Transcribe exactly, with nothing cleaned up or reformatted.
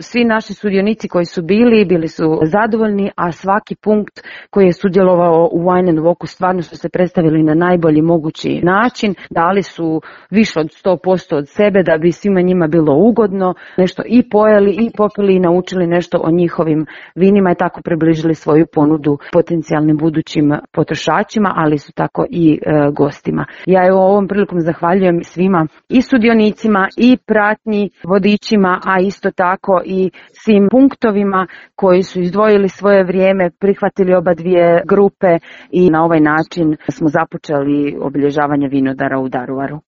Svi naši sudionici koji su bili, bili su zadovoljni, a svaki punkt koji je sudjelovao u Wine and Walku stvarno su se predstavili na najbolji mogući način, dali su više od sto posto od sebe da bi svima njima bilo ugodno, nešto i pojeli i popili i naučili nešto o njihovim vinima i tako približili svoju ponudu potencijalnim budućim potrošačima, ali su tako i e, gostima. Ja evo ovom prilikom zahvaljujem svima i sudionicima i pratnji vodičima, a isto tako i svim punktovima koji su izdvojili svoje vrijeme, prihvatili oba dvije grupe i na ovaj način smo započeli obilježavanje vinodara u Daruvaru.